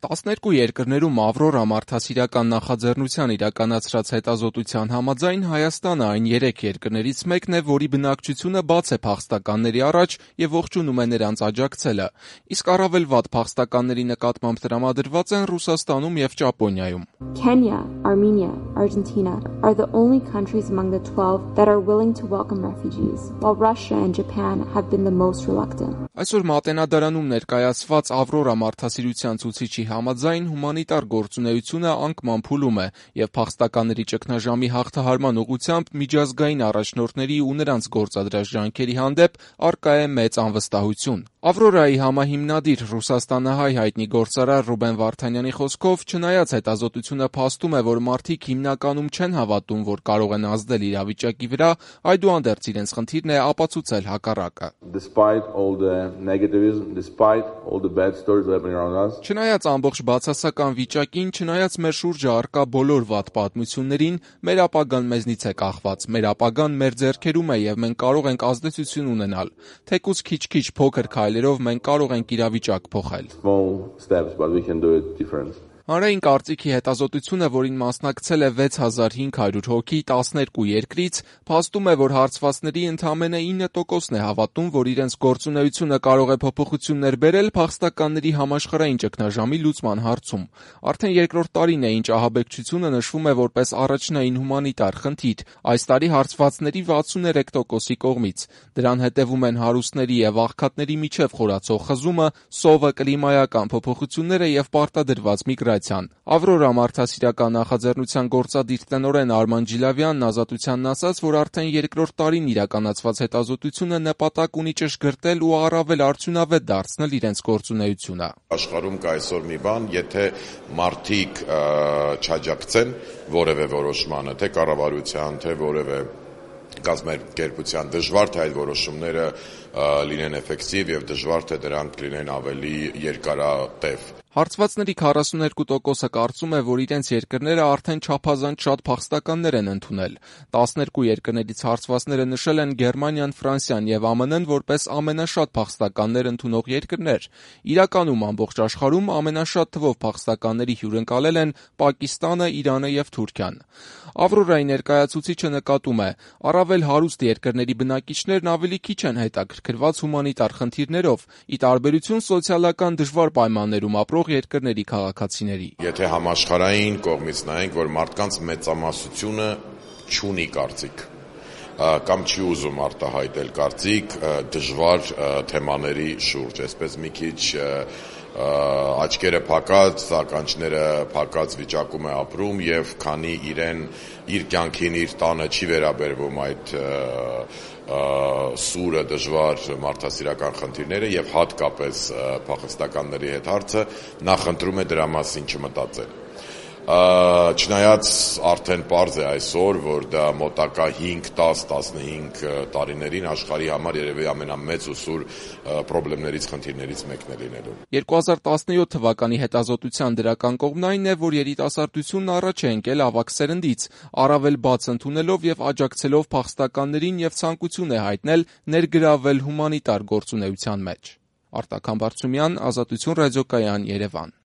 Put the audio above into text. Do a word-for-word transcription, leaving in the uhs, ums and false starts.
տասներկու երկրներում «Ավրորա» մարդասիրական նախաձեռնության իրականացրած հետազոտության համաձայն Հայաստանը այն երեք երկրներից մեկն է, որի բնակչությունը բաց է փախստականների առաջ և ողջունում է նրանց աջակցելը, իսկ առավել վատ փախստականների նկատմամբ տրամադրված են Ռուսաստանում և Ճապոնիայում։ Kenya, Armenia, Argentina are the only countries among the twelve that are willing to welcome refugees, while Russia and Japan have been the most reluctant. Այսօր Մատենադարանում ներկայացված «Ավրորա» մարդասիրության ցուցիչի համաձայն հումանիտար գործունեությունը անկման փուլում է և փախստականների ճգնաժամի հաղթահարման ուղղությամբ միջազգային առաջնորդների ու նրանց գործադրած ջանքերի հանդեպ առկա է մեծ անվստահություն։ «Ավրորայի» համահիմնադիր ռուսաստանահայ հայտնի գործարար Ռուբեն Վարդանյանի խոսքով, չնայած հետազոտությունը փաստում է, որ մարդիկ հիմնականում չեն հավատում, որ կարող են ազդել իրավիճակի վրա, այդուհանդերձ իրենց խնդիրն է ապացուցել հակառակը։ Չնայած ամբողջ բացասական վիճակին, չնայած մեր շուրջը առկա բոլոր վատ պատմություններին, մեր ապագան մեզնից է կախված, մեր ապագան մեր ձեռքերում է և մենք կարող ենք ազդեցություն ունենալ, թեկուզ քիչ-քիչ փոքր քայլերով մենք կարող ենք իրավիճակ փոխել։ Հանրային կարծիքի հետազոտությունը, որին մասնակցել է վեց հազար հինգ հարյուր հոգի տասներկու երկրից, փաստում է, որ հարցվածների ընդամենը ինը տոկոսն է հավատում, որ իրենց գործունեությունը կարող է փոփոխություններ բերել փախստականների համաշխարհային ճգնաժամի լուծման հարցում։ Արդեն երկրորդ տարին է, ինչ ահաբեկչությունը նշվում է որպես առաջնային հումանիտար խնդիր, այս տարի հարցվածների վաթսուներեք տոկոսի կողմից։ Դրան հետևում են հարուստների և աղքատների միջև խորացող խզումը, սովը, կլիմայական փոփոխությունները և պարտադրված միգրացիան։ «Ավրորա» մարդասիրական նախաձեռնության գործադիր տնօրեն Արման Ջիլավյանն «Ազատությանն» ասաց, որ արդեն երկրորդ տարին իրականացված հետազոտությունը նպատակ ունի ճշգրտել ու առավել արդյունավետ դարձնել իրենց գործունեությունը։ Աշխարհում կա այսօր մի բան, եթե մարդիկ չաջակցեն որևէ որոշմանը, թե կառավարության, թե որևէ կազմակերպության, դժվար թե այդ որոշումները լինեն էֆեկտիվ և դժվար թե դրանք լինեն ավելի երկարատև։ Հարցվածների քառասուներկու տոկոսը կարծում է, որ իրենց երկրները արդեն չափազանց շատ փախստականներ են ընդունել։ տասներկու երկրներից հարցվածները նշել են Գերմանիան, Ֆրանսիան և ԱՄՆ-ն որպես ամենաշատ փախստականներ ընդունող երկրներ։ Իրականում ամբողջ աշխարհում ամենաշատ թվով փախստականների հյուրընկալել են Պակիստանը, Իրանը և Թուրքիան։ «Ավրորայի» ներկայացուցիչը նկատում է, առավել հարուստ երկրների բնակիչներն ավելի քիչ են հետաքրքրված հումանիտար խնդիրներով, ի տարբերություն սոցիալական դժվար պայմաններում ապրող երկրների քաղաքացիների։ Եթե համաշխարհային կողմից նայենք, որ մարդկանց մեծամասնությունը չունի կարծիք կամ չի ուզում արտահայտել կարծիք դժվար թեմաների շուրջ, այսպես մի քիչ աչքերը փակած, ականջները փակած վիճակում է ապրում և քանի իրեն իր կյանքին, իր տանը չի վերաբերվում այդ սուրը, դժվար մարդասիրական խնդիրները և հատկապես փախստականների հետ հարցը, նա խնդրում է դրա մասին չմտածել։ Չնայած արդեն պարզ է այսօր, որ դա մոտակա հինգ, դաս, տասնհինգ տարիներին աշխարհի համար երևի ամենամեծ ու սուր խնդիրներից, խնդիրներից մեկն է լինելու։ երկու հազար տասնյոթ թվականի հետազոտության դրական կողմն այն է, որ երիտասարդությունն առաջ է ընկել ավագ սերնդից, առավել բաց ընդունելով և աջակցելով փախստականներին և ցանկություն է հայտնել ներգրավվել հումանիտար գործունեության մեջ։ Արտակ Համբարձումյան, Ազատություն ռադիոկայան, Երևան։